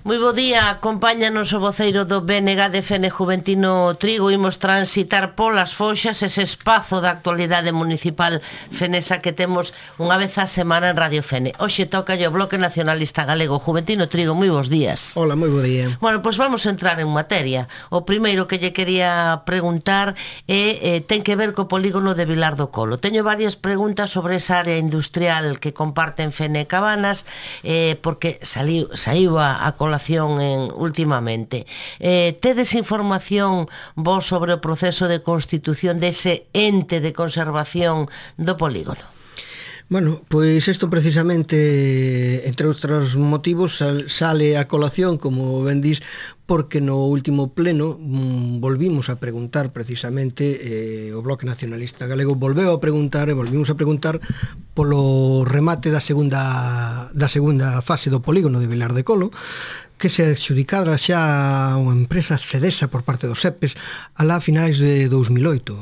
Moi bo día, acompáñanos o voceiro do BNG de Fene Juventino Trigo. Imos transitar polas foxas ese espazo da actualidade municipal fenesa que temos unha vez a semana en Radio Fene. Hoxe toca o Bloque Nacionalista Galego Juventino Trigo. Moi bons días. Hola, moi bo día. Bueno, pois vamos a entrar en materia. O primeiro que lle quería preguntar ten que ver co polígono de Vilar do Colo. Teño varias preguntas sobre esa área industrial que comparten Fene e Cabanas, porque saiu a colación últimamente. Tedes información vos sobre o proceso de constitución dese ente de conservación do polígono? Bueno, pois isto precisamente, entre outros motivos, sale a colación, como ben dís, porque no último pleno volvimos a preguntar precisamente, o Bloque Nacionalista Galego volveu a preguntar e volvimos a preguntar polo remate da segunda fase do polígono de Vilar de Colo, que se adxudicara xa unha empresa cedesa por parte dos SEPES alá a finais de 2008,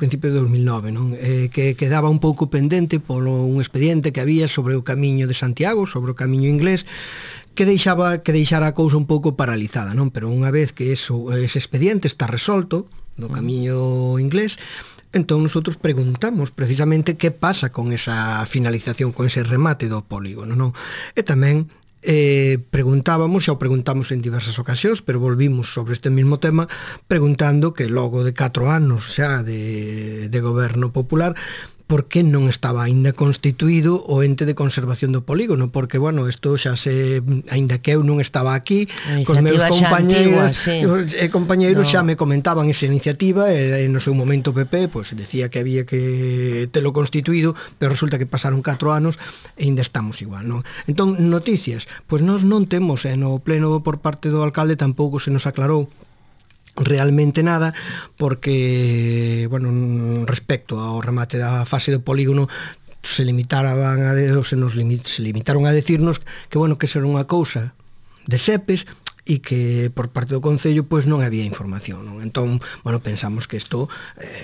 principio de 2009, non? Que quedaba un pouco pendente polo un expediente que había sobre o camiño de Santiago, sobre o camiño inglés, que deixara a cousa un pouco paralizada, non? Pero unha vez que ese expediente está resolto do camiño inglés, entón nosotros preguntamos precisamente que pasa con esa finalización, con ese remate do polígono, non? E tamén preguntamos en diversas ocasións, pero volvimos sobre este mismo tema preguntando que logo de 4 anos xa de goberno popular, por que non estaba aínda constituído o ente de conservación do polígono, porque, bueno, isto xa aínda que eu non estaba aquí, cos meus compañeiros xa me comentaban esa iniciativa, e no seu momento PP pois decía que había que telo constituído, pero resulta que pasaron 4 anos e aínda estamos igual, non? Entón, noticias, pois nós non temos, no pleno por parte do alcalde tampouco se nos aclarou realmente nada, porque, bueno, respecto ao remate da fase do polígono se limitaron a decirnos que, bueno, que será unha cousa de SEPES e que por parte do Concello pois non había información, non? Entón, bueno, pensamos que isto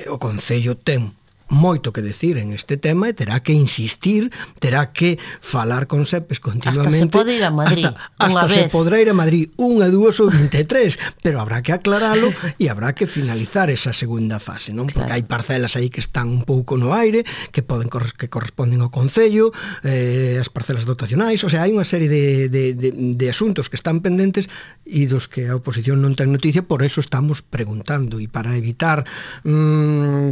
o Concello ten moito que decir en este tema e terá que insistir, terá que falar con SEPES continuamente. Hasta se pode ir a Madrid hasta se podrá ir a Madrid 1, 2 ou 23, pero habrá que aclaralo e habrá que finalizar esa segunda fase, non? Porque hai parcelas aí que están un pouco no aire, que corresponden ao Concello, as parcelas dotacionais, o sea, hai unha serie de asuntos que están pendentes e dos que a oposición non ten noticia, por eso estamos preguntando, e para evitar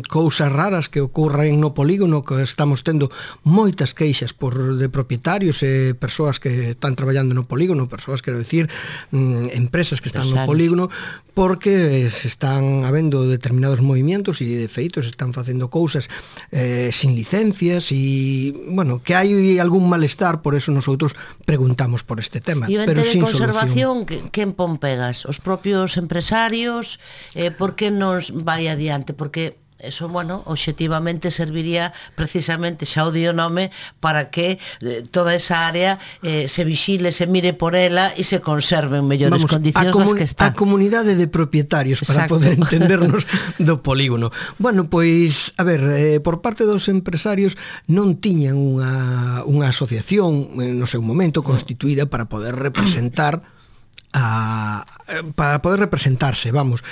cousas raras que ocurren no polígono, que estamos tendo moitas queixas de propietarios e persoas que están traballando no polígono, persoas, quero decir, empresas que están no polígono, porque se están habendo determinados movimientos e de feito se están facendo cousas sin licencias e, bueno, que hai algún malestar, por eso nosotros preguntamos por este tema. E o ente de conservación, quen pon pegas? Os propios empresarios? Por que nos vai adiante? Porque eso, bueno, obxectivamente serviría precisamente, xa o dio nome, para que toda esa área se vixile, se mire por ela e se conserve en mellores condicións das que está. A comunidade de propietarios, para poder entendernos do polígono. Bueno, pois, a ver, por parte dos empresarios non tiñan unha asociación no seu momento constituída para poder representarse, vamos.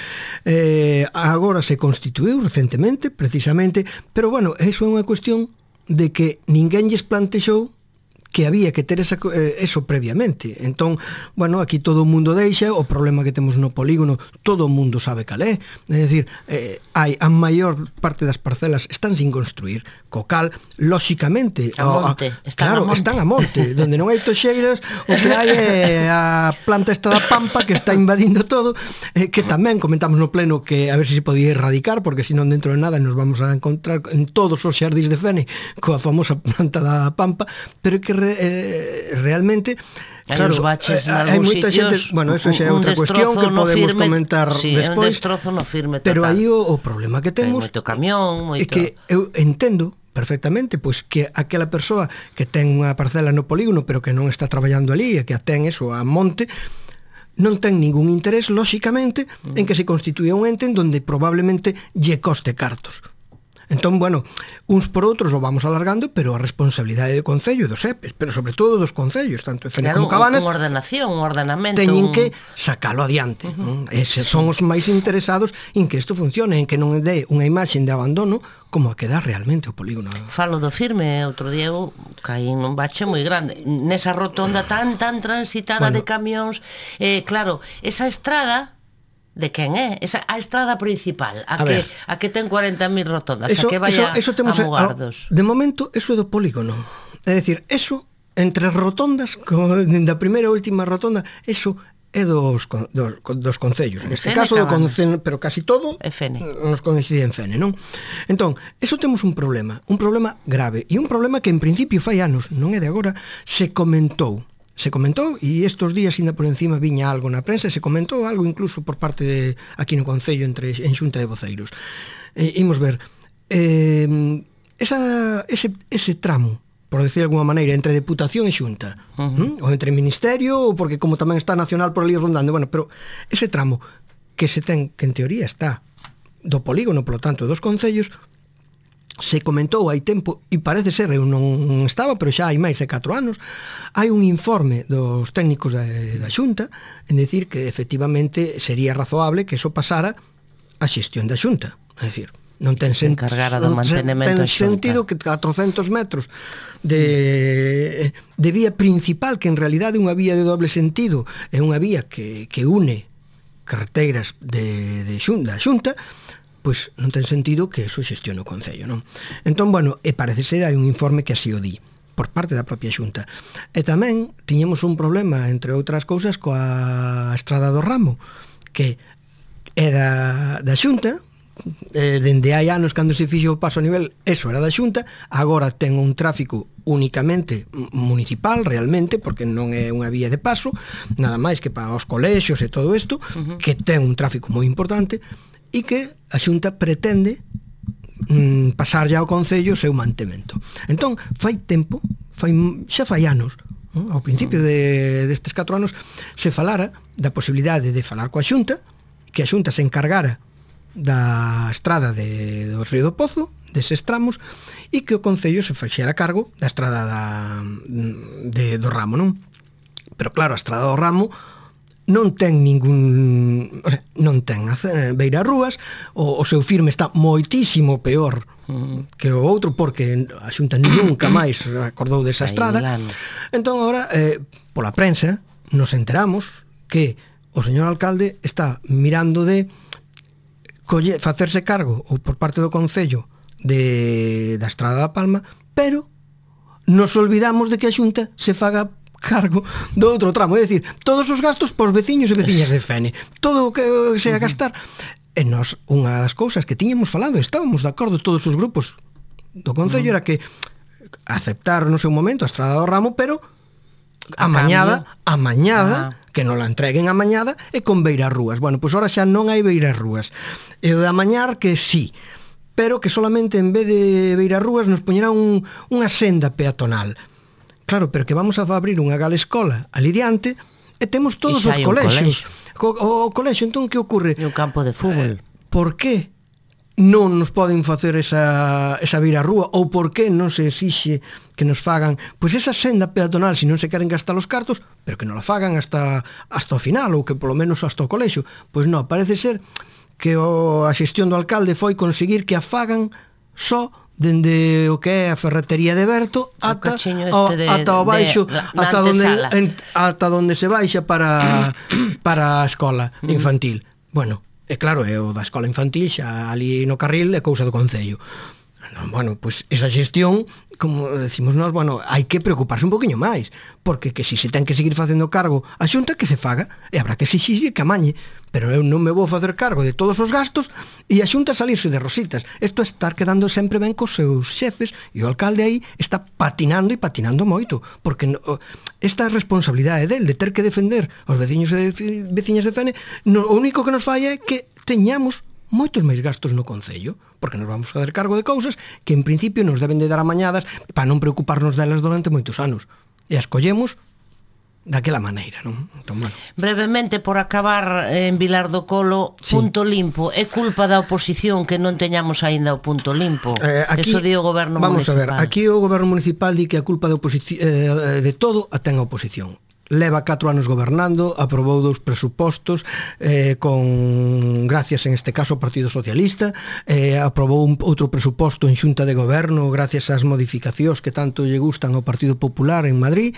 Agora se constituiu recentemente, precisamente, pero, bueno, eso é unha cuestión de que ninguén lles plantexou que había que ter eso previamente. Entón, bueno, aquí todo o mundo deixa, o problema que temos no polígono, todo o mundo sabe cal é. É dicir, a maior parte das parcelas están sin construir, co cal, lóxicamente, están a monte, donde non hai toxeiras, o que hai é a planta esta da Pampa que está invadindo todo, que tamén comentamos no pleno que a ver se podía erradicar, porque senón dentro de nada nos vamos a encontrar en todos os xardís de Fene coa famosa planta da Pampa, pero que realmente, claro, os baches hai moita xente, bueno, eso xa é outra cuestión que podemos comentar despois. Un destrozo no firme total. Pero aí o problema que temos moito camión, é que eu entendo perfectamente pois que aquela persoa que ten unha parcela no polígono pero que non está traballando ali e que a ten eso a monte, non ten ningún interés, lóxicamente, en que se constituya un ente en donde probablemente lle coste cartos. Entón, bueno, uns por outros o vamos alargando, pero a responsabilidade do Concello e dos EPEs, pero sobre todo dos Concellos, tanto Fene como Cabanas, unha ordenación, un ordenamento, teñen que sacalo adiante. Eses son os máis interesados en que isto funcione, en que non dé unha imaxe de abandono como a que dá realmente o polígono. Falo do Firme, outro día eu caí nun bache moi grande nesa rotonda tan transitada de camións. Claro, esa estrada de quen é? A estrada principal, a que ten 40.000 rotondas, a que vai a Mugardos. De momento, eso é do polígono. É dicir, eso, entre rotondas, da primeira e última rotonda, eso é dos concellos. Neste caso, pero casi todo nos coincide en Fene, non? Entón, eso temos un problema grave, e un problema que en principio fai anos, non é de agora, se comentou, e estes días ainda por encima viña algo na prensa, se comentou algo incluso por parte de, aquí no Concello en Xunta de Voceiros. Imos ver, ese tramo, por decir de alguma maneira, entre Deputación e Xunta, ou entre Ministerio, ou porque como tamén está Nacional por ali rondando, bueno, pero ese tramo que se ten, que en teoría está do polígono, polo tanto, dos concellos, se comentou hai tempo, e parece ser, eu non estaba, pero xa hai máis de 4 anos, hai un informe dos técnicos da Xunta en decir que efectivamente sería razoable que eso pasara a xestión da Xunta. É dicir, non ten sentido que 400 metros de vía principal, que en realidade é unha vía de doble sentido, é unha vía que une carreteiras da Xunta, pois non ten sentido que eso xestione o Concello, non? Entón, bueno, parece ser hai un informe que así o di por parte da propia Xunta. E tamén tiñemos un problema, entre outras cousas, coa Estrada do Ramo, que era da Xunta, dende hai anos cando se fixo o paso a nivel, eso era da Xunta, agora ten un tráfico únicamente municipal realmente, porque non é unha vía de paso, nada máis que para os colexios e todo isto, que ten un tráfico moi importante, e que a Xunta pretende pasar ya ao Concello o seu mantemento. Entón, fai tempo, xa fai anos, ao principio destes 4 anos, se falara da posibilidade de falar coa Xunta, que a Xunta se encargara da estrada do Río do Pozo, deses tramos, e que o Concello se fixera cargo da estrada do Ramo, non? Pero claro, a estrada do Ramo non ten beirarrúas, o seu firme está moitísimo peor que o outro, porque a Xunta nunca máis acordou desa estrada. Entón, agora, pola prensa, nos enteramos que o señor alcalde está mirando de facerse cargo, ou por parte do Concello, da Estrada da Palma, pero nos olvidamos de que a Xunta se faga cargo do outro tramo, é dicir, todos os gastos por veciños e veciñas de Fene, todo o que se a gastar. E nós, unha das cousas que tiñamos falado, estábamos de acordo todos os grupos do Concello, era que aceptar no seu momento a Estrada do Ramo, pero amañada, que non la entreguen amañada e con beirarrúas. Bueno, pois ahora xa non hai beirarrúas. E o de amañar que sí, pero que solamente en vez de beirarrúas nos poñerá unha senda peatonal. Claro, pero que vamos a abrir unha galescola ali diante e temos todos os colexios. O colexio, entón, que ocorre? E un campo de fútbol. Por que non nos poden facer esa beirarrúa, ou por que non se exixe que nos fagan pois esa senda peatonal, se non se queren gastar os cartos, pero que non la fagan hasta o final, ou que polo menos hasta o colexio. Pois non, parece ser que a xestión do alcalde foi conseguir que a fagan só dende o que é a ferretería de Berto ata o baixo, ata onde se baixa para a escola infantil. Bueno, e claro, é o da escola infantil xa ali no carril é cousa do Concello. Bueno, pois esa xestión, como decimos nós, bueno, hai que preocuparse un poquinho máis, porque que si se ten que seguir facendo cargo a Xunta, que se faga, e habrá que exixir que amañe, pero eu non me vou facer cargo de todos os gastos e a Xunta salirse de rositas. Isto é estar quedando sempre ben cos seus xefes, e o alcalde aí está patinando e patinando moito, porque esta responsabilidade del de ter que defender os veciños e veciñas de Fene, o único que nos falla é que teñamos moitos máis gastos no Concello, porque nos vamos a facer cargo de cousas que en principio nos deben de dar amañadas para non preocuparnos delas durante moitos anos. E as collemos daquela maneira, non? Entón, bueno. Brevemente, por acabar en Vilar do Colo, punto limpo, é culpa da oposición que non teñamos aínda o punto limpo. Aquí, eso di o goberno vamos municipal. Vamos a ver, aquí o goberno municipal di que a culpa de todo a ten a oposición. Leva 4 anos gobernando, aprobou 2 presupostos con gracias en este caso ao Partido Socialista, aprobou outro presuposto en Xunta de Goberno gracias ás modificacións que tanto lle gustan ao Partido Popular en Madrid,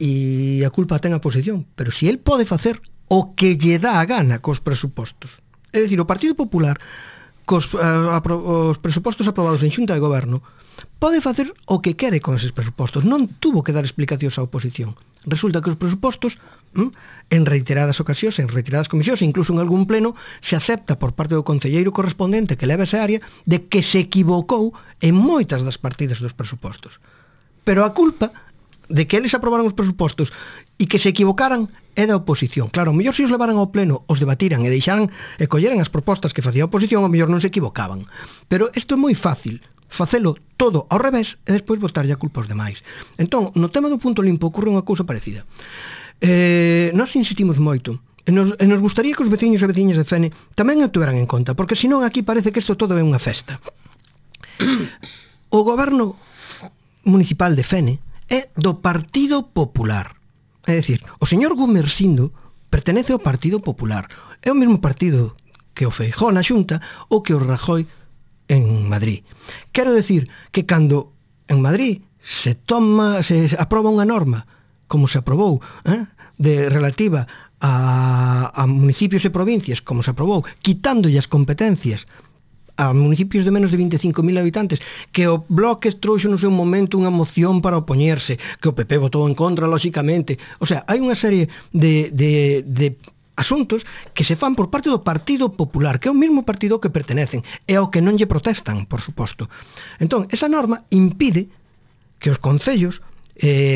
e a culpa ten a oposición, pero si el pode facer o que lle dá a gana cos presupostos. É dicir, o Partido Popular os presupostos aprobados en Xunta de Goberno pode facer o que quere con eses presupostos, non tuvo que dar explicacións á oposición. Resulta que os presupostos en reiteradas ocasións, en reiteradas comisións, incluso en algún pleno, se acepta por parte do concelleiro correspondente que leva esa área de que se equivocou en moitas das partidas dos presupostos. Pero a culpa de que eles aprobaron os presupostos e que se equivocaran é da oposición. Claro, o mellor se os levaran ao pleno, os debatiran e deixaran e colleran as propostas que facía a oposición, o mellor non se equivocaban. Pero isto é moi fácil, facelo todo ao revés e despois botarlle a culpa aos demais. Entón, no tema do punto limpo ocorre unha cousa parecida. Nós insistimos moito e nos gustaría que os veciños e veciñas de Fene tamén o tuveran en conta, porque senón aquí parece que isto todo é unha festa. O goberno municipal de Fene é do Partido Popular. É dicir, o señor Gumersindo pertenece ao Partido Popular. É o mesmo partido que o Feijóo na Xunta ou que o Rajoy en Madrid. Quero decir que cando en Madrid se aproba unha norma, como se aprobou, relativa a municipios e provincias, como se aprobou, quitándolle as competencias a municipios de menos de 25.000 habitantes, que o Bloque trouxo no seu momento unha moción para opoñerse, que o PP votou en contra, lóxicamente. O sea, hai unha serie de asuntos que se fan por parte do Partido Popular, que é o mesmo partido que pertenecen, e ao que non lle protestan, por suposto. Entón, esa norma impide que os concellos,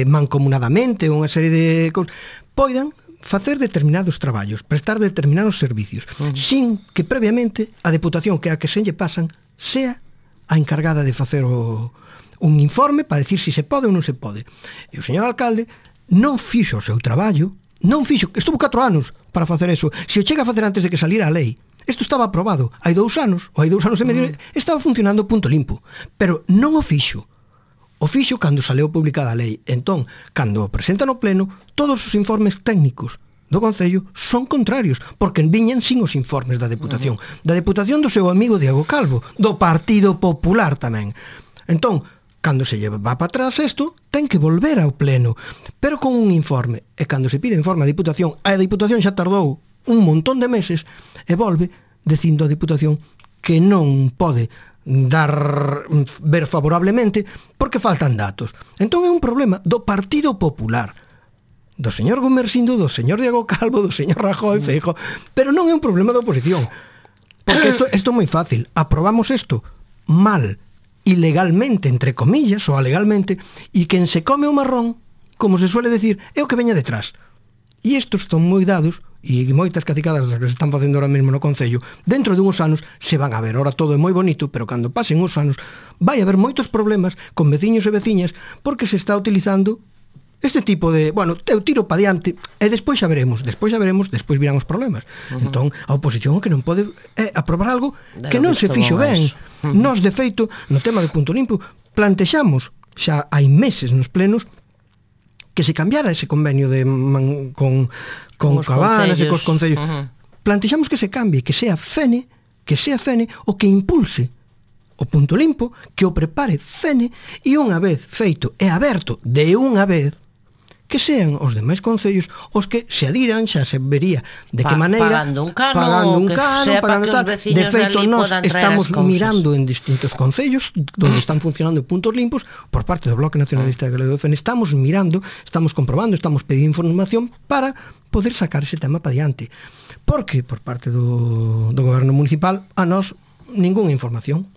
mancomunadamente, unha serie de cousas, poidan facer determinados traballos, prestar determinados servicios, sin que previamente a Deputación, que é a que se lle pasan, sea a encargada de facer un informe para decir se se pode ou non se pode. E o señor alcalde non fixo o seu traballo, estuvo 4 anos para facer eso. Se o chega a facer antes de que salira a lei, isto estaba aprobado hai 2 anos, ou hai 2 anos e medio, estaba funcionando punto limpo, pero non o fixo. O fixo cando saleu publicada a lei. Entón, cando o presenta no pleno, todos os informes técnicos do Concello son contrarios, porque viñan sin os informes da Deputación. Da Deputación do seu amigo Diego Calvo, do Partido Popular tamén. Entón, cando se lleva para atrás isto, ten que volver ao pleno, pero con un informe. E cando se pide informe a Deputación, a Deputación xa tardou un montón de meses, e volve dicindo a Deputación que non pode ver favorablemente porque faltan datos. Entón é un problema do Partido Popular, do señor Gumersindo, do señor Diego Calvo, do señor Rajoy, Feijóo, pero non é un problema da oposición, porque isto é moi fácil. Aprobamos isto mal, ilegalmente, entre comillas, ou alegalmente, e quen se come o marrón, como se suele decir, é o que veña detrás. E estos son moi dados, e moitas cacicadas das que se están facendo ahora mesmo no Concello, dentro de uns anos se van a ver. Ahora todo é moi bonito, pero cando pasen uns anos vai haber moitos problemas con veciños e veciñas, porque se está utilizando este tipo de, bueno, eu tiro pa diante e despois xa veremos, despois virán os problemas. Entón, a oposición que non pode aprobar algo que non se fixo ben. Nós, de feito, no tema do punto limpo, plantexamos xa hai meses nos plenos que se cambiara ese convenio con Cabanas e cos concellos. Plantexamos que se cambie, que sea Fene o que impulse o punto limpo, que o prepare Fene, e unha vez feito e aberto de unha vez, que sean os demais concellos os que se adiran, xa se vería de que maneira, pagando un cano, pagando tal. De feito, nós estamos mirando en distintos concellos donde están funcionando puntos limpos por parte do Bloque Nacionalista Galego de Fene. Estamos mirando, estamos comprobando, estamos pedindo información para poder sacar ese tema para diante, porque por parte do goberno municipal a nós ningunha información.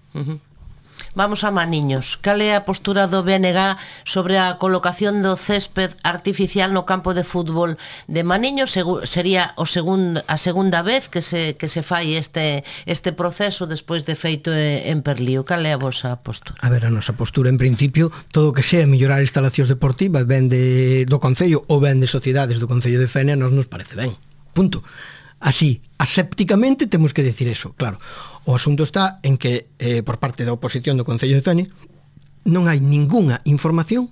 Vamos a Maniños. Cal é a postura do BNG sobre a colocación do césped artificial no campo de fútbol de Maniños? Sería a segunda vez que se fai este proceso despois de feito en Perlío. Cal é a vosa postura? A ver, a nosa postura, en principio, todo o que sea mellorar instalacións deportivas, ben do Concello ou ben de sociedades do Concello de Fene, a nos parece ben. Punto. Así, asépticamente temos que decir eso, claro. O asunto está en que, por parte da oposición do Concello de Fene, non hai ningunha información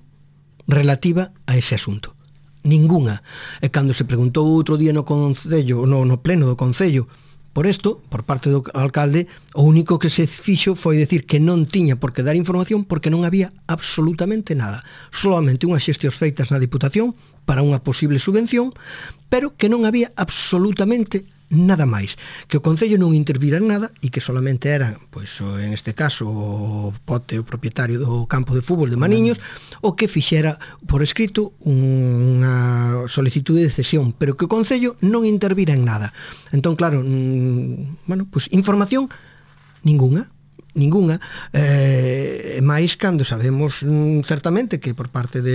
relativa a ese asunto. Ningunha. E cando se preguntou outro día no Concello, no pleno do Concello, por isto, por parte do alcalde, o único que se fixo foi decir que non tiña por que dar información porque non había absolutamente nada. Solamente unhas xestións feitas na Diputación para unha posible subvención, pero que non había absolutamente nada máis, que o Concello non intervira en nada e que solamente era, pois, en este caso, o Pote, o propietario do campo de fútbol de Maniños, o que fixera por escrito unha solicitude de cesión, pero que o Concello non intervira en nada. Entón, claro, bueno, pois información ningunha, máis cando sabemos certamente que por parte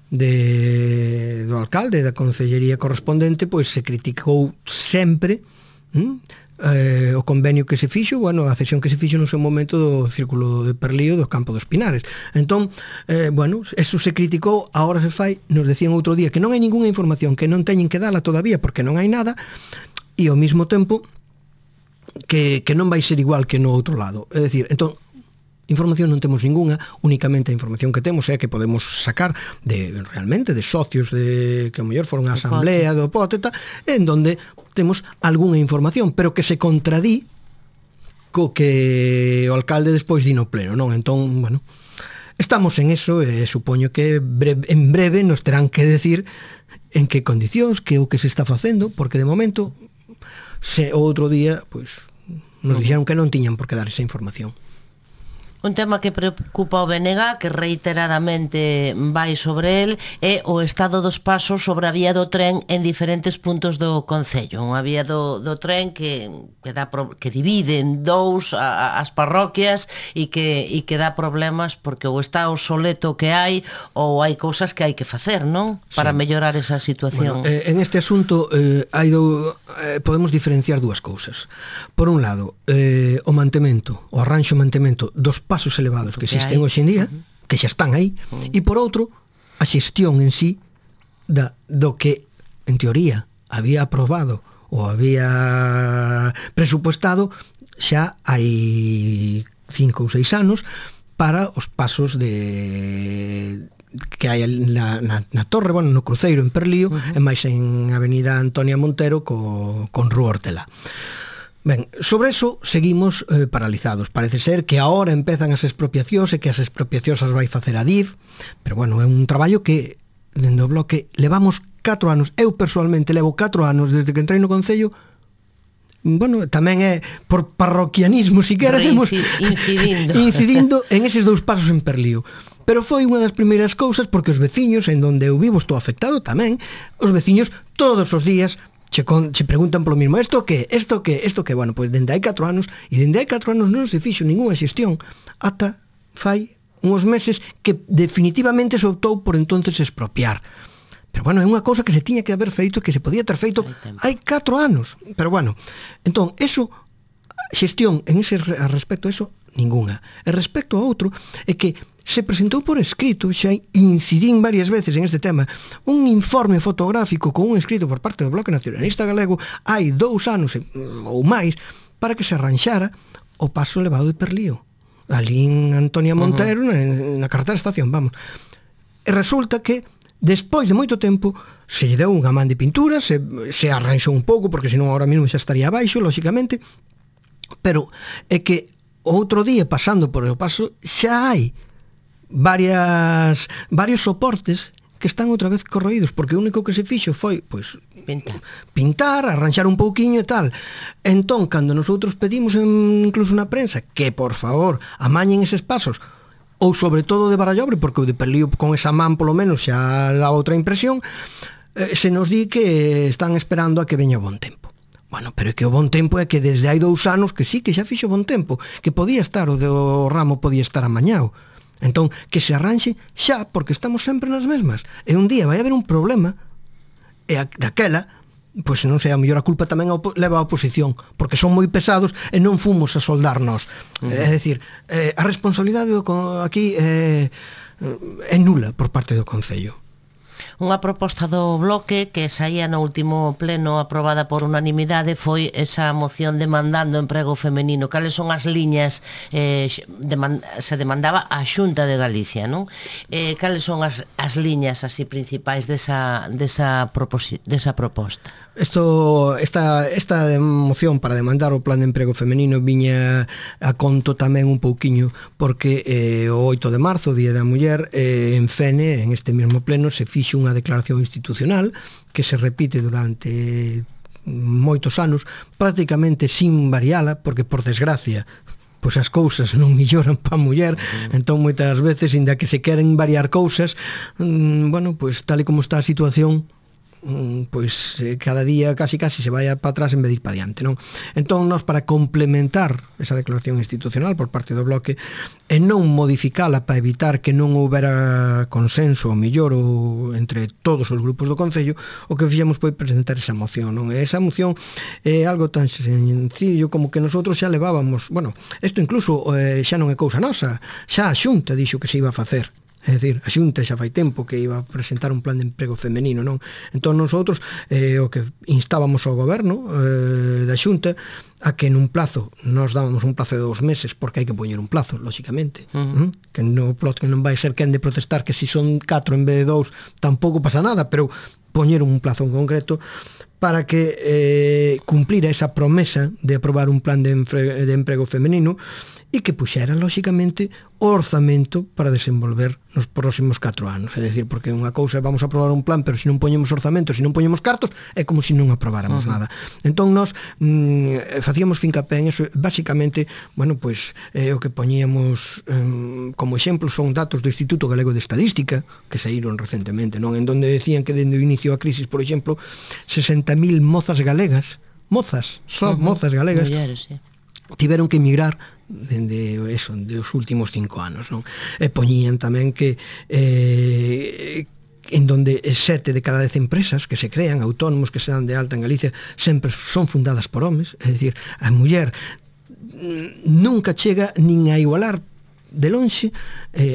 do alcalde da concellería correspondente, pois se criticou sempre o convenio que se fixo, bueno, a cesión que se fixo no seu momento do Círculo de Perlío do Campo dos Pinares. Entón, bueno, eso se criticou, agora se fai, nos decían outro día que non hai ningunha información, que non teñen que dala todavía porque non hai nada, e ao mesmo tempo que non vai ser igual que no outro lado. É dicir, entón, información non temos ningunha, únicamente a información que temos é que podemos sacar realmente de socios que ao mellor foron a asamblea do Pote, en donde temos algunha información, pero que se contradí co que o alcalde despois di no pleno, non? Entón, bueno, estamos en eso e supoño que en breve nos terán que decir en que condicións, que o que se está facendo, porque de momento outro día, pois, nos dixeron que non tiñan por que dar esa información. Un tema que preocupa o BNG, que reiteradamente vai sobre el, é o estado dos pasos sobre a vía do tren en diferentes puntos do Concello. Unha vía do tren que divide en dous as parroquias e que dá problemas porque ou está obsoleto que hai ou hai cousas que hai que facer, non? Para mellorar esa situación. Bueno, en este asunto podemos diferenciar dúas cousas. Por un lado, o mantemento, o arranxo mantemento dos pasos elevados que existen hoxe en día, que xa están aí, e por outro, a xestión en sí do que, en teoría, había aprobado ou había presupuestado xa hai 5 ou 6 anos para os pasos que hai na torre, bueno, no cruceiro en Perlío, e máis en Avenida Antonia Montero con Rúa Hortelá. Ben, sobre eso seguimos paralizados. Parece ser que ahora empezan as expropiacións e que as expropiacións as vai facer a DIF, pero bueno, é un traballo que dende o bloque levamos 4 anos. Eu personalmente levo 4 anos desde que entrei no Concello. Bueno, tamén é por parroquianismo, si queremos, incidindo en eses 2 pasos en Perlío. Pero foi unha das primeiras cousas porque os veciños, en donde eu vivo estou afectado tamén, os veciños todos os días che preguntan polo mismo, isto que? Bueno, pois dende hai 4 anos, e dende hai 4 anos non se fixo ningunha xestión, ata fai uns meses que definitivamente se optou por entonces expropiar. Pero bueno, é unha cousa que se tiña que haber feito, que se podía ter feito hai 4 anos. Pero bueno, entón, eso, xestión en ese respecto a eso, ningunha. E respecto a outro, é que se presentou por escrito, xa incidín varias veces en este tema, un informe fotográfico con un escrito por parte do Bloque Nacionalista Galego hai 2 anos ou máis para que se arranxara o paso elevado de Perlío, ali en Antonia Montero, na carretera Estación, vamos. E resulta que despois de moito tempo se lle deu unha man de pintura, se arranxou un pouco, porque senón ahora mesmo xa estaría abaixo, lóxicamente, pero é que outro día pasando por o paso xa hai varios soportes que están outra vez corroídos, porque o único que se fixo foi, pois, pintar, arranxar un pouquiño e tal. Entón, cando nosotros pedimos incluso na prensa que, por favor, amañen eses pasos, ou sobre todo de Barallobre, porque o de Perlío con esa man polo menos xa dá outra impresión, se nos di que están esperando a que veña bon tempo. Bueno, pero é que o bon tempo é que desde hai 2 anos que sí, que xa fixo bon tempo, que podía estar, o do ramo podía estar amañado. Entón, que se arranxe xa, porque estamos sempre nas mesmas. E un día vai haber un problema, e daquela, pois non sei, a mellor a culpa tamén leva a oposición, porque son moi pesados e non fomos a soldarnos. É dicir, a responsabilidade aquí é nula por parte do Concello. Unha proposta do Bloque que saía no último pleno aprobada por unanimidade foi esa moción demandando emprego femenino. Cales son as liñas se demandaba a Xunta de Galicia, non? Cales son as liñas así principais desa proposta? Esta moción para demandar o plan de emprego femenino viña a conto tamén un pouquiño porque o 8 de marzo, Día da Muller, en Fene, en este mesmo pleno, se fixo unha declaración institucional que se repite durante moitos anos, prácticamente sin variala, porque por desgracia pois as cousas non melloran para a muller, entón moitas veces, inda que se queren variar cousas, bueno, pois tal e como está a situación, pois cada día casi se vai para atrás en vez de ir para diante, non? Entón, nós para complementar esa declaración institucional por parte do Bloque e non modificala para evitar que non houbera consenso ou mellor entre todos os grupos do Concello, o que fixemos foi presentar esa moción, non? E esa moción é algo tan sencillo como que nosotros xa levábamos, bueno, isto incluso xa non é cousa nosa, xa a Xunta dixo que se iba a facer. É dicir, a Xunta xa fai tempo que iba a presentar un plan de emprego femenino, non? Entón, nosotros o que instábamos ao goberno da Xunta a que nun plazo, nos dábamos un plazo de 2 meses, porque hai que poñer un plazo, lóxicamente, que non vai ser quen de protestar que si son 4 en vez de 2 tampouco pasa nada, pero poñer un plazo en concreto para que cumplira esa promesa de aprobar un plan de emprego femenino e que puxera, lóxicamente, o orzamento para desenvolver nos próximos 4 anos. É dicir, porque unha cousa é vamos a aprobar un plan, pero se non poñemos orzamento, se non poñemos cartos, é como se non aprobáramos nada. Entón, nós facíamos fincapé en eso. Básicamente, bueno, pois, o que poñíamos como exemplo son datos do Instituto Galego de Estadística, que saíron recentemente, non? En donde decían que dende o inicio da crisis, por exemplo, 60.000 mozas galegas, mozas galegas, mulleres, sí, tiveron que emigrar dende eso, dos últimos 5 anos, non? E poñían tamén que en donde 7 de cada 10 empresas que se crean, autónomos que se dan de alta en Galicia, sempre son fundadas por homes, é dicir, a muller nunca chega nin a igualar de lonxe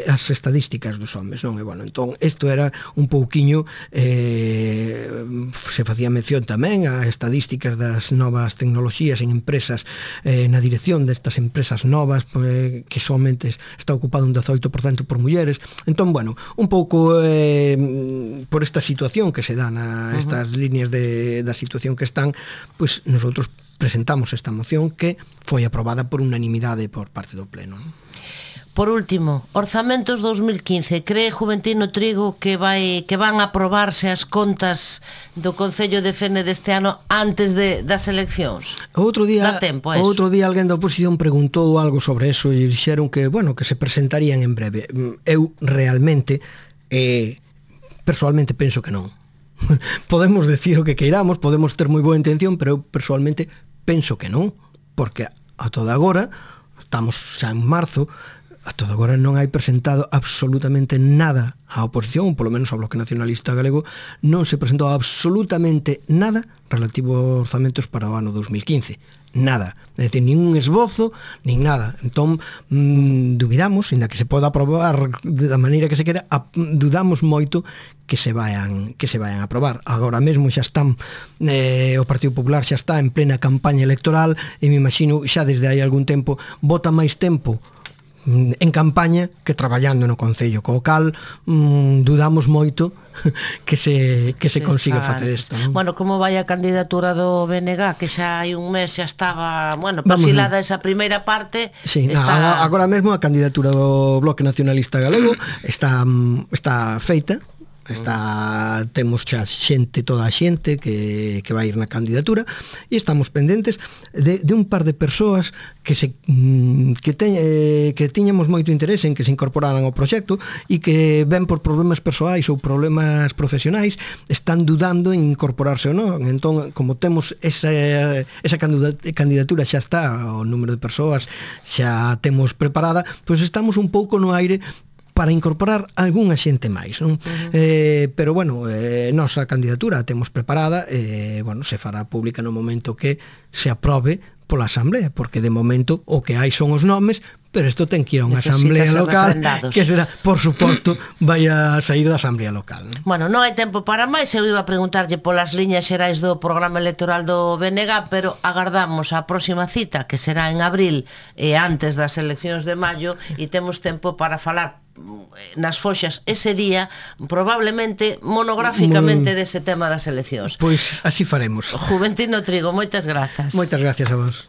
as estadísticas dos homes, non? E, bueno, entón, isto era un pouquiño se facía mención tamén a estadísticas das novas tecnoloxías en empresas, na dirección destas empresas novas, que somente está ocupado un 18% por mulleres. Entón, bueno, un pouco por esta situación que se dan a estas líneas da situación que están, pois nosotros presentamos esta moción que foi aprobada por unanimidade por parte do Pleno, non? Por último, orzamentos 2015. Cree Juventino Trigo que van a aprobarse as contas do Concello de Fene deste ano antes das eleccións? Outro día alguén da oposición preguntou algo sobre eso e dixeron que, bueno, que se presentarían en breve. Eu realmente personalmente penso que non. Podemos decir o que queiramos, podemos ter moi boa intención, pero eu personalmente penso que non, porque a toda agora, estamos xa en marzo, a toda agora non hai presentado absolutamente nada á oposición, polo menos ao Bloque Nacionalista Galego, non se presentou absolutamente nada relativo aos orzamentos para o ano 2015. Nada. É dicir, nin un esbozo, nin nada. Entón, dubidamos, inda que se poda aprobar da maneira que se quera, dudamos moito que se vayan a aprobar. Agora mesmo xa están, o Partido Popular xa está en plena campaña electoral e me imagino xa desde hai algún tempo bota máis tempo en campaña que traballando no Concello, co cal dudamos moito que se consiga facer isto, non? Bueno, como vai a candidatura do BNG, que xa hai un mes xa estaba, bueno, perfilada esa primeira parte. Sí, agora mesmo a candidatura do Bloque Nacionalista Galego está feita, Temos xa toda a xente que vai ir na candidatura e estamos pendentes de un par de persoas que tiñamos moito interés en que se incorporaran ao proxecto e que ven por problemas persoais ou problemas profesionais están dudando en incorporarse ou non. Entón, como temos esa candidatura xa está, o número de persoas xa temos preparada, pois estamos un pouco no aire para incorporar algunha xente máis, non? Pero, bueno, nosa candidatura a temos preparada, se fará pública no momento que se aprobe pola Asamblea, porque de momento o que hai son os nomes, pero isto ten que ir a unha Asamblea local, que será, por suposto, vai a sair da Asamblea local, non? Bueno, non hai tempo para máis, eu iba a preguntarlle polas liñas xerais do programa electoral do BNG, pero agardamos a próxima cita, que será en abril e antes das eleccións de maio, e temos tempo para falar nas foxas ese día, probablemente monográficamente dese tema das eleccións. Pois así faremos. Juventino Trigo, moitas grazas. Moitas gracias a vos.